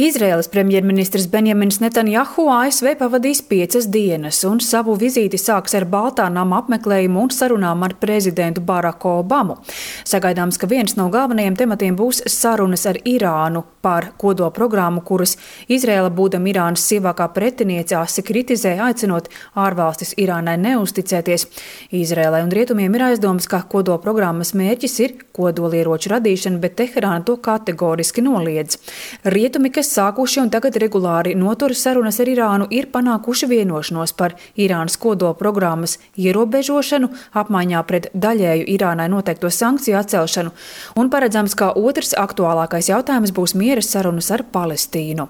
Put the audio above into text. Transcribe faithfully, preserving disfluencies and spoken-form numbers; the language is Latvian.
Izraēlas premjerministrs Benjamins Netanjahu A S V pavadīs piecas dienas un savu vizīti sāks ar Baltā nama apmeklējumu un sarunām ar prezidentu Baraku Obamu. Sagaidāms, ka viens no galvenajiem tematiem būs sarunas ar Irānu par kodolprogrammu, kuras Izraēla, būdama Irānas sievākā pretiniece, asi kritizē, aicinot ārvalstis Irānai neusticēties. Izraēlai un rietumiem ir aizdomas, ka kodolprogrammas mērķis ir kodolieroču radīšana, bet Teherāna to kategoriski noliedz. Rietumi, kas sākuši un tagad regulāri notur sarunas ar Irānu, ir panākuši vienošanos par Irānas kodolprogrammas ierobežošanu, apmaiņā pret daļēju Irānai noteikto sankciju atcelšanu, un paredzams, ka otrs aktuālākais jautājums būs miera sarunas ar Palestīnu.